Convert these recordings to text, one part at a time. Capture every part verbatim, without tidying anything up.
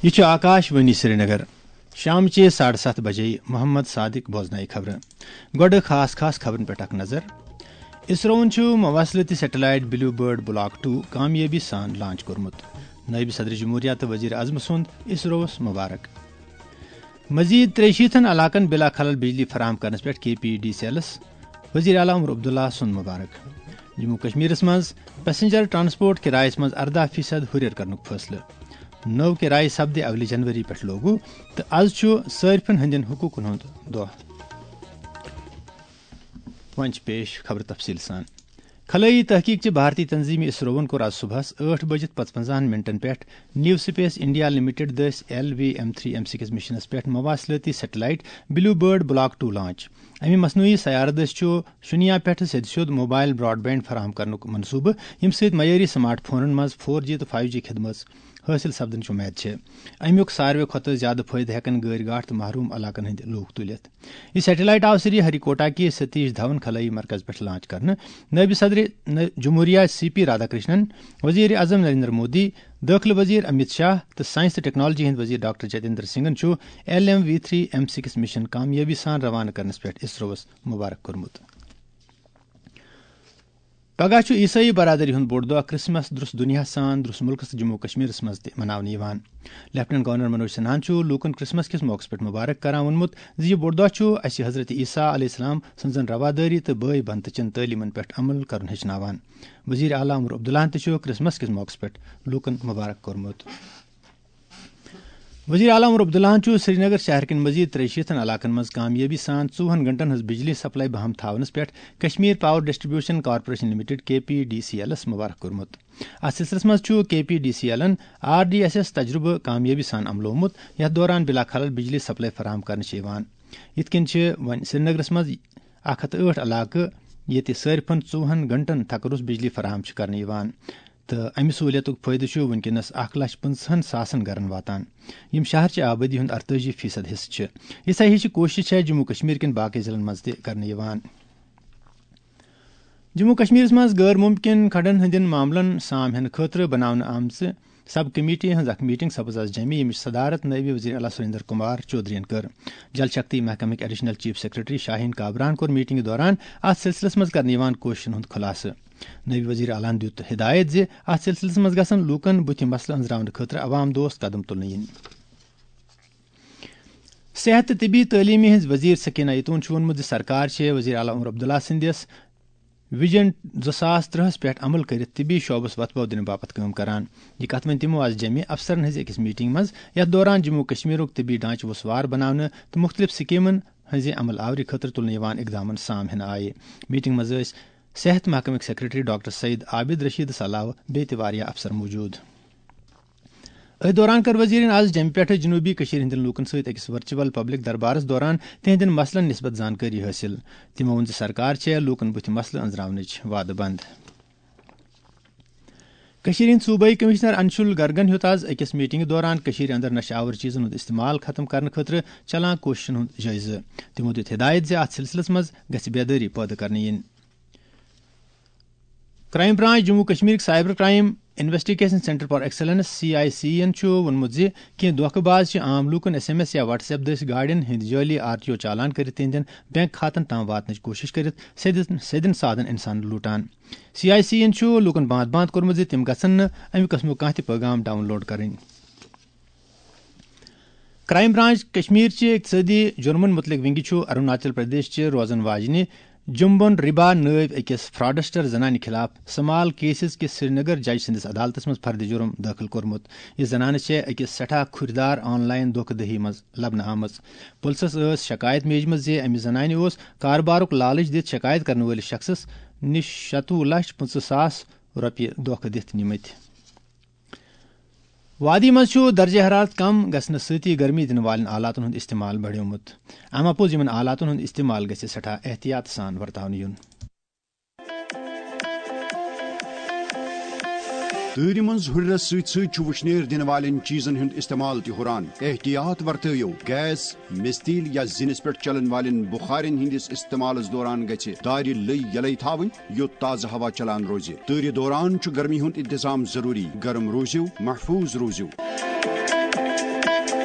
یہِ چھُ آکاش وانی سرینگر۔ شامچہِ ساڑٕ ستھ بجے محمد صادق بوزنایہِ خبرٕ۔ گۄڈٕ خاص خاص خبرن پٮ۪ٹھ اکھ نظر۔ اسرووَن چھُ مواصلٲتی satellite blue bird block two کامیٲبی سان لانچ کوٚرمُت۔ نٲیِب صدر جمہوریہ تہٕ وزیر اعظم سُنٛد اسرووَس مبارک۔ مزید ترٛیہِ شیٖتن علاقن بلا خلل بجلی فراہم کرنس پٮ۪ٹھ کے پی ڈی سی ایلس وزیر اعلیٰ عمر عبداللہ سُنٛد مبارک۔ جموں کشمیرس منٛز پیسنجر ٹرانسپورٹ کرایس منٛز ارداہ فیصد ہُرٮ۪ر کرنُک فٲصلہٕ۔ نٔو کرایہِ سپدِ اولہِ جنوری پٮ۪ٹھ لاگو تہٕ از چھُ صٲرفن ہٕنٛدٮ۪ن حقوٗقن ہُنٛد دۄہ۔ وۄنۍ چھِ پیش خبرٕ تفصیٖل سان۔ خلٲیی تحقیق چہِ بھارتی تنظیمہِ اسرووَن کوٚر آز صبحس ٲٹھ بجِتھ پانٛژونزاہن منٹن پٮ۪ٹھ نیو سپیس انڈیا لمیٹڈ دٔسۍ L V M three M six مشنس پٮ۪ٹھ مواصلٲتی satellite blue bird block two launch. امہِ مصنوعی سیارٕ دٔسۍ چھُ شُنیا پٮ۪ٹھٕ سیٚدِ سیوٚد موبائل براڈ بینڈ فراہم کرنُک منصوبہٕ، ییٚمہِ سۭتۍ معیٲری سمارٹ فونن منٛز فور جی تہٕ فایو جی خدمژ حٲصِل سپدنٕچ وۄمید چھےٚ۔ امیُک ساروٕے کھۄتہٕ زیادٕ فٲیدٕ ہٮ۪کن غٲرۍ گاٹھ تہٕ محروم علاقن ہٕنٛدۍ لوٗکھ تُلِتھ۔ یہِ سیٹلائٹ آو سری ہری کوٹا کہِ ستیش دھون خلٲیی مرکز پٮ۪ٹھ لانچ کرنہٕ۔ نٲیِب صدر جمہوریہ سی پی رادھا کرشنن، وزیر اعظم نریندر مودی، دٲخلہٕ وزیر امیت شاہ تہٕ سائنس تہٕ ٹیکنالوجی ہٕنٛدۍ وزیر ڈاکٹر جتیندر سنگھن چھُ L M V three M six mission کامیٲبی سان روانہٕ کرنس پٮ۪ٹھ اسرووَس مبارک کوٚرمُت۔ پگاہ چھُ عیسٲئی برادری ہُنٛد بوٚڑ دۄہ کرسمس درس دُنیاہَس سان درس مُلکس تہٕ جموں کشمیرس منٛز تہِ مناونہٕ یِوان۔ لیفٹیننٹ گورنر منوج سنہاہن چھُ لوٗکن کرسمس کِس موقعس پٮ۪ٹھ مبارک کران ووٚنمُت زِ یہِ بوٚڑ دۄہ چھُ اَسہِ حضرت عیسیٰ علیہ السلام سٕنٛزن روادٲری تہٕ بٲے بنتہٕ چٮ۪ن تعلیمن پٮ۪ٹھ عمل کرُن ہیٚچھناوان۔ وزیر اعلیٰ عمر عبداللہن تہِ چھُ کرسمس کِس موقعس پٮ۪ٹھ لوٗکن مبارک کوٚرمُت۔ وزیر اعلیٰ عمر عبداللہن چھُ سرینگر شہر کٮ۪ن مزید ترٛیہِ شیٖتن علاقن منٛز کامیٲبی سان ژوٚوُہن گھنٹن ہٕنٛز بجلی سپلائی بحم تھاونس پٮ۪ٹھ Kashmir power distribution corporation limited, K P D C ایلس مبارک کوٚرمُت۔ اتھ سلسلس منٛز چھُ کے پی ڈی سی ایلن آر ڈی ایس ایس تجرُبہٕ کامیٲبی سان عملومُت، یتھ دوران بلا خلل بجلی سپلائی فراہم کرنہٕ چھِ یِوان۔ یِتھ کٔنۍ چھِ وۄنۍ سرینگرس منٛز اکھ ہتھ ٲٹھ علاقہٕ، ییٚتہِ صٲرفن ژوٚوُہن گھنٹن تھکہٕ روٚس بجلی فراہم چھِ کرنہٕ یِوان۔ تہٕ امہِ سہوٗلیتُک فٲیدٕ چھُ وٕنکیٚنَس اکھ لچھ پٕنٛژٕہن ساسن گرن واتان، یِم شہر چہِ آبٲدی ہُنٛد ارتٲجی فیصد حصہٕ چھِ۔ یِژھے ہِش چھِ کوٗشش چھےٚ جموں کشمیر کٮ۪ن باقٕے ضلعن منٛز تہِ کرنہٕ یِوان۔ جموں کشمیرس منٛز غٲر ممکن کھڑن ہٕنٛدٮ۪ن معاملن سام ہٮ۪نہٕ خٲطرٕ بناونہٕ آمژٕ سب کمیٹی ہٕنٛز اکھ میٹنگ سپٕز آز جمع، ییٚمِچ صدارت نٲیِب وزیر اعلیٰ سریندر کمار چودھرین کٔر۔ Jal Shakti محکمٕکۍ additional chief secretary شاہین کابران کوٚر میٹنگہِ دوران اتھ سلسلس منٛز کرنہٕ یِوان کوٗششن ہُنٛد خلاصہٕ۔ نٲیِب وزیر اعلیٰ ہن دیُت ہدایت زِ اتھ سلسلس منٛز گژھن لوٗکن بُتھِ مسلہٕ أنٛزراونہٕ خٲطرٕ عوام دوست قدم تُلنہٕ یِنۍ۔ صحت تہٕ طبی تعلیمہِ ہٕنٛز وزیر سکینہ یتون چھُ ووٚنمُت زِ سرکار چھےٚ وزیر اعلیٰ عمر عبداللہ سٕنٛدِس ویژن زٕ ساس ترٛہس پٮ۪ٹھ عمل کٔرِتھ طبی شعبس وتھ پو دِنہٕ باپتھ کٲم کران۔ یہِ کتھ ؤنۍ تِمو آز جمع افسرن ہٕنٛزِ أکِس میٹنگ منٛز، یتھ دوران جموں کشمیرُک طبی ڈھانچہٕ وُسوار بناونہٕ تہٕ مُختٔلِف سکیمن ہٕنٛزِ عمل آوری خٲطرٕ تُلنہٕ یِوان اقدامن سام ہٮ۪نہٕ آیہِ۔ میٹنگ منٛز ٲسۍ صحت محکمٕکۍ سیکرٹری ڈاکٹر سعید عابد رشیدس علاوٕ بیٚیہِ تہِ واریاہ افسر موجود۔ أتھۍ دوران کٔر وزیرن آز جمہِ پٮ۪ٹھٕ جنوٗبی کٔشیٖرِ ہٕنٛدٮ۪ن لوٗکن سۭتۍ أکِس ورچوئل پبلک دربارس دوران تِہنٛدٮ۪ن مسلن نسبت زانکٲری حٲصِل۔ تِمو ووٚن زِ سرکار چھےٚ لوٗکن بُتھِ مسلہٕ أنٛزراونٕچ وعدٕ بنٛد۔ کٔشیٖرِ ہٕنٛدۍ صوٗبٲئی کمشنر انشول گرگن ہیوٚت آز أکِس میٹنگہِ دوران کٔشیٖرِ اندر نشہٕ آور چیٖزن ہُنٛد استعمال ختم کرنہٕ خٲطرٕ چلان کوٗششن ہُنٛد جٲیزٕ۔ تِمو دیُت ہدایت زِ اتھ سلسلس منٛز گژھِ بیدٲری پٲدٕ کرنہٕ یِنۍ۔ کرائم برانچ جموں کشمیرٕکۍ cyber crime investigation centre for excellence, C I C, یَن چھُ ووٚنمُت زِ کینٛہہ دھوکہٕ باز چھِ عام لوٗکن ایس ایم ایس یا واٹس ایپ دٔسۍ گاڑٮ۪ن ہٕنٛدۍ جعٲلی آر ٹی او چالان کٔرِتھ تِہنٛدٮ۪ن بینک کھاتن تام واتنٕچ کوٗشش کٔرِتھ سیٚدٮ۪ن، سیٚدٮ۪ن سادن انسانن لوٗٹان۔ سی آئی سی یَن چھُ لوٗکن باند باند کوٚرمُت زِ تِم گژھن نہٕ اَمہِ قٕسمُک کانٛہہ تہِ پٲغام ڈاؤن لوڈ کرٕنۍ۔ کرائم برانچ کشمیر چہِ اقتصٲدی جُرمن مُتعلق ونگہِ چھُ اروناچل پردیش چہِ روزن واجنہِ جمبن ربا نٲوۍ أکِس فراڈسٹر زنانہِ خلاف سمال کیسز کِس سرینگر جج سٕنٛدِس عدالتس منٛز فرد جُرم دٲخل کوٚرمُت۔ یہِ زنانہٕ چھےٚ أکِس سٮ۪ٹھاہ کھُرۍ دار آن لائن دھوکہ دٔہی منٛز لبنہٕ آمٕژ۔ پُلسس ٲس شکایت میجمٕژ زِ أمِس زنانہِ اوس کاربارُک لالچ دِتھ شکایت کرن وٲلِس شخصس نِش شتوُہ لچھ پٕنٛژٕہ ساس رۄپیہِ دھوکہ دِتھ نِمٕتۍ۔ وادی منٛز چھُ درجہ حرارت کم گژھنہٕ سۭتی گرمی دِنہٕ والٮ۪ن آلاتن ہُنٛد استعمال بڑیومُت۔ امہِ اپوز یِمن آلاتن ہُنٛد استعمال گژھِ سٮ۪ٹھاہ احتیاط سان ورتاونہٕ یُن۔ تۭرِ منٛز ہُرٮ۪رس سۭتۍ سۭتۍ چھُ وُشنیر دِنہٕ والٮ۪ن چیٖزن ہُنٛد استعمال تہِ ہُران۔ احتیاط ورتٲیِو، گیس، مِستیٖل یا زِنِس پٮ۪ٹھ چلن والٮ۪ن بُخارٮ۪ن ہٕنٛدِس استعمالس دوران گژھِ دارِ لٔۍ یلے تھاوٕنۍ، یوٚت تازٕ ہوا چلان روزِ۔ تۭرِ دوران چھُ گرمی ہُنٛد انتظام ضروٗری۔ گرم روٗزِو، محفوٗظ روٗزِو۔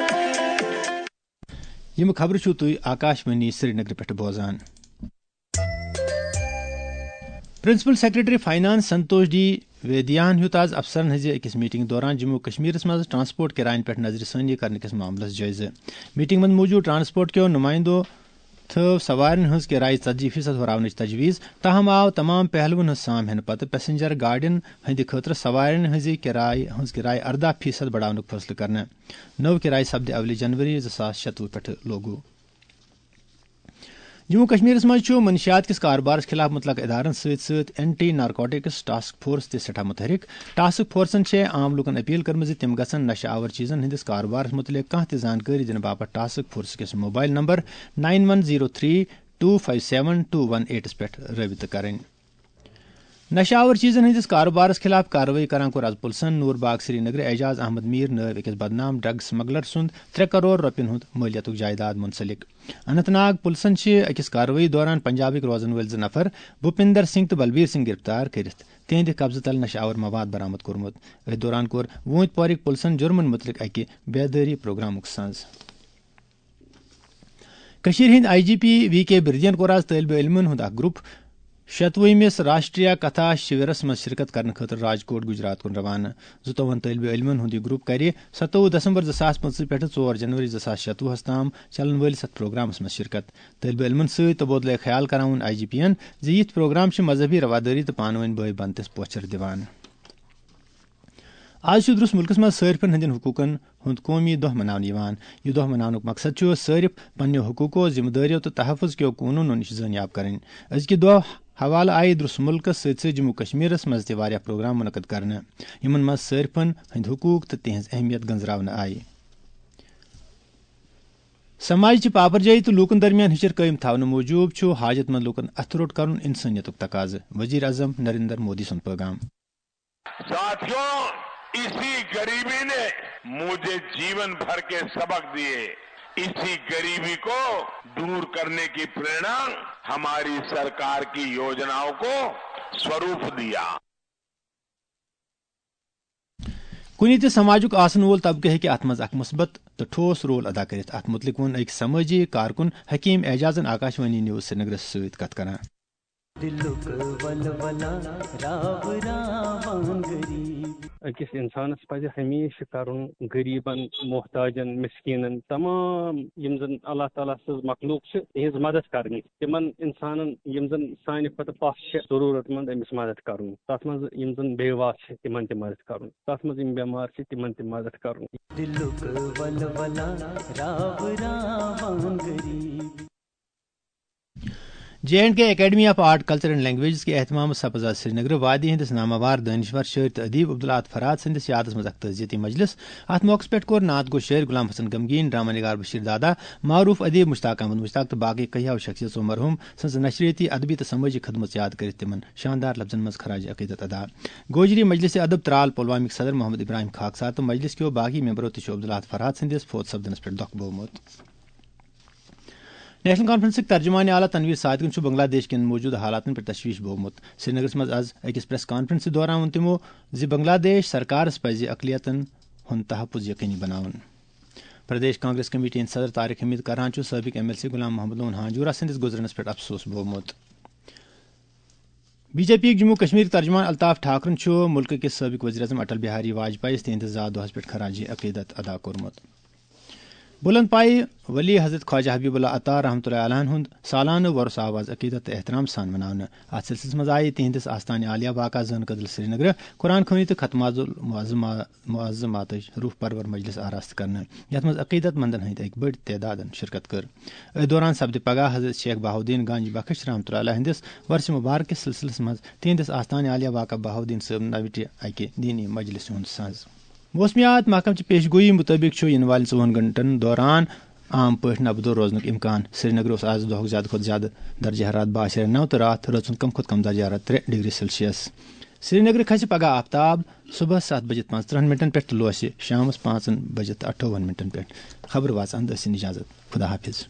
یِم خبرٕ چھِو تُہۍ آکاشوانی سرینگرٕ پٮ۪ٹھ بوزان۔ پرنسپل سیکرٹری فائنانس سنتوش ڈی ویدیاہن ہیوٚت آز افسرن ہٕنٛزِ أکِس میٹنگ دوران جموں و کشمیرس منٛز ٹرانسپورٹ کرایَن پٮ۪ٹھ نظرِ ثٲنی کرنہٕ کِس معاملس جٲیزٕ۔ میٹنگ منٛز موجود ٹرانسپورٹ کیو نمائندو تھٲو سوارٮ۪ن ہٕنٛز کرایہِ ژتجی فیصد ہُراونٕچ تجویز، تاہم آو تمام پہلوَن ہٕنٛز سام ہٮ۪نہٕ پتہٕ پیسنجر گاڑٮ۪ن ہٕنٛدِ خٲطرٕ سوارٮ۪ن ہٕنٛزِ کرایہِ ہٕنٛز کرایہِ ارداہ فیصد بڑاونُک فٲصلہٕ کرنہٕ۔ نٔو کرایہِ سپدِ اولہِ جنوری زٕ ساس شتوُہ پٮ۪ٹھٕ لوگو۔ جموں کشمیرس منٛز چھُ منشیات کِس کاربارس خلاف متعلقہٕ ادارن سۭتۍ سۭتۍ اینٹی نارکوٹکس ٹاسک فورس تہِ سٮ۪ٹھاہ متحرک۔ ٹاسک فورسن چھےٚ عام لوٗکن اپیل کٔرمٕژ زِ تِم گژھن نشہٕ آور چیزن ہٕنٛدِس کاربارس متعلق کانٛہہ تہِ زانکٲری دِنہٕ باپتھ ٹاسک فورس کِس mobile number nine one zero three two five seven two one ایٹس پٮ۪ٹھ رٲبطہٕ کرٕنۍ۔ نشہٕ آور چیزن ہٕنٛدِس کاربارس خلاف کاروٲیی کران کوٚر از پُلسن نور باغ سرینگرٕ اعجاز احمد میر نٲوۍ أکِس بدنام ڈرگ سمگلر سُنٛد ترٛےٚ کرور رۄپین ہُنٛد مٲلیتُک جائیداد منسلک۔ اننت ناگ پُلسن چھِ أکِس کاروٲیی دوران پنجابٕکۍ روزن وٲلۍ زٕ نفر بھوپندر سنگھ تہٕ بلبیر سنگھ گرفتار کٔرِتھ تِہنٛدِ قبضہٕ تل نشہٕ آور مواد برآمد کوٚرمُت۔ أتھۍ دوران کوٚر ووٗنتۍ پورٕکۍ پُلسن جُرمن مُتعلق اکہِ بیدٲری پروگرامُک سنز۔ کٔشیٖرِ ہٕنٛدۍ آئی جی پی وی کے بِردِین کوٚر آز طٲلبہِ علمن ہُنٛد اکھ گروپ شتوُہمِس راشٹریہ کتھا شِورس منٛز شرکت کرنہٕ خٲطرٕ راجکوٹ، گجرات کُن روانہٕ۔ زٕتووُہن طٲلبہِ علمن ہُنٛد یہِ گروپ کرِ ستووُہ دسمبر زٕ ساس پٕنٛژٕہ پٮ۪ٹھٕ ژور جنوری زٕ ساس شتوُہس تام چلن وٲلِس اتھ پروگرامس منٛز شرکت۔ طٲلبہِ علمن سۭتۍ تبادلہٕ خیال کران ووٚن آئی جی پی ین زِ یِتھۍ پروگرام چھِ مذہبی روادٲری تہٕ پانہٕ ؤنۍ بٲے بنتس پوچھر دِوان۔ آز چھُ درس مُلکس منٛز صٲرفن ہٕنٛدٮ۪ن حقوٗقن ہُنٛد قومی دۄہ مناونہٕ یِوان۔ یہِ دۄہ مناونُک مقصد چھُ صٲرف پننیو حقوٗقو، ذمہٕ دٲریو تہٕ تحفظ کیو قونوٗنو نِش زٲنیاب کرٕنۍ۔ أزکہِ دۄہ حوالہٕ آیہِ درس مُلکس سۭتۍ سۭتۍ جموں کشمیرس منٛز تہِ واریاہ پروگرام منعقد کرنہٕ، یِمن منٛز صٲرفن ہٕنٛدۍ حقوٗق تہٕ تِہنٛز اہمیت گنزراونہٕ آیہِ۔ سماج چہِ پاپرجٲیی تہٕ لوٗکن درمیان ہِشر قٲیِم تھاونہٕ موٗجوٗب چھُ حاجت مند لوٗکن اتھٕ روٚٹ کرُن انسٲنیتُک تقاضہٕ، وزیر اعظم نریندر مودی سُنٛد پٲغام۔ ساتھیوں، اسی गरीबी ने मुझे जीवन भर के सबक दिए। इसी गरीबी को दूर करने की प्रेरणा हमारी सरकार की योजनाओं को स्वरूप दिया। کُنہِ تہِ سماجُک آسن وول طبقہٕ ہیٚکہِ اتھ منٛز اکھ مثبت تہٕ ٹھوس رول ادا کٔرِتھ۔ اتھ مُتعلق ووٚن أکۍ سمٲجی کارکُن حکیم اعجازن آکاشوانی نیوز سرینگرس سۭتۍ کتھ کران۔ دِلُک ولولہ راو راوان غریب۔ أکِس اِنسانَس پَزِ ہمیشہِ کَرُن غریٖبَن، محتاجَن، مِسکیٖنَن، تمام یِم زَن اللہ تعالیٰ سٕنٛز مخلوٗق چھِ، تِہِنٛز مدد کَرنہِ۔ تِمَن اِنسانَن یِم زَن سانہِ کھۄتہٕ پَتھ چھِ، ضروٗرت مند، أمِس مدد کَرُن۔ تَتھ منٛز یِم زَن بیواہ چھِ، تِمَن تہِ مدد کَرُن۔ تَتھ منٛز یِم بٮ۪مار چھِ، تِمَن تہِ مدد کَرُن۔ دِلُک ولولہ راو راوان غریٖب۔ J and K academy of art, culture and languages کے اہتمام سپز آز سرینگر وادی ہندس نامور دانشور شٲعر تہٕ ادیب عبدالاحد فرحات سٕنٛدِس یادس منٛز اکھ تعزیتی مجلس۔ اتھ موقعس پٮ۪ٹھ کوٚر نعت گو شٲعر غلام حسن غمگیٖن، ڈرامہ نگار بشیر دادا، معروف ادیب مشتاق احمد مشتاق تہٕ باقٕے کیہو شخصیژو مرحوم سٕنٛز نشریٲتی، ادبی تہٕ سمٲجی خدمژ یاد کٔرِتھ تِمن شاندار لفظن منٛز خراج عقیدت ادا۔ گوجری مجلس ادب ترال پلوامک صدر محمد ابراہیم خاکسار تہٕ مجلس کیو باقی ممبرو تہِ چھُ عبدالاحد فرحات سٕنٛدِس فوت سپدنس پٮ۪ٹھ دۄکھ بوومُت۔ نیشنل کانفرنسٕکۍ ترجمان اعلیٰ تنویر صادقن چھُ بنگلہ دیش کٮ۪ن موجودٕ حالاتن پٮ۪ٹھ تشویش بوومُت۔ سرینگرس منٛز از أکِس پریس کانفرنسہِ دوران ووٚن تِمو زِ بنگلہ دیش سرکارس پزِ اقلیتن ہُنٛد تحفظ یقینی بناوُن۔ پردیش کانگریس کمیٹی ہٕنٛدۍ صدر طارق حمید کران چھُ سٲبق M L C Ghulam Mohammad Lone Hanjura سٕنٛدِس گُزرنس پٮ۪ٹھ افسوس بوومُت۔ بی جے پی یُک جموں کشمیر ترجمان الطاف ٹھاکرن چھُ مُلکہٕ کِس سٲبق وزیر اعظم اٹل بہاری واجپاییَس تِہنٛدِس زا دۄہس پٮ۪ٹھ خراج عقیدت ادا کوٚرمُت۔ بلند پایہِ ولی حضرت خواجہ حبیب اللہ عطا رحمۃ اللہ علیہ ہُنٛد سالانہٕ وۄرُس آو از عقیدت تہٕ احترام سان مناونہٕ۔ اتھ سلسلس منٛز آیہِ تِہنٛدِس آستانہِ عالیہ واقع زٲن کدل سرینگرٕ، قرآن خوٲنی تہٕ ختم معظم معظماتٕچ روح پرور مجلس آراستہٕ کرنہٕ، یتھ منٛز عقیدت مندن ہٕنٛدۍ أکۍ بٔڑۍ تعدادن شرکت کٔر۔ أتھۍ دوران سپدِ پگاہ حضرت شیخ بہاؤالدین گنج بخش رحمۃ اللہ علیہ ہٕنٛدِس ورثِ مبارک کِس سلسلس منٛز تِہنٛدِس آستانہِ عالیہ واقع بہاؤالدین صٲب نوِٹہِ اکہِ دینی مجلسہِ ہُنٛد سنز۔ موسمیات محکمہٕ چہِ پیش گویی مُطٲبِق چھُ یِنہٕ والٮ۪ن ژوٚوُہن گھنٹن دوران عام پٲٹھۍ نبدو روزنُک امکان۔ سرینگر اوس آز دۄہُک زیادٕ کھۄتہٕ زیادٕ درجہ حرارت باہ اَشاریہ نَو تہٕ راتھ رٲژ ہُنٛد کم کھۄتہٕ کم درجہ حرارت ترٛےٚ ڈگری سیلسیس۔ سرینگرٕ کھسہِ پگہہ آفتاب صبحس ستھ بجے پانٛژترٕہن منٹن پٮ۪ٹھ تہٕ لوسہِ شامس پانٛژن بجے تہٕ اَٹھووُہن منٹن پٮ۪ٹھ۔ خبر واژن دٔسِن اجازت۔ خدا حافظ۔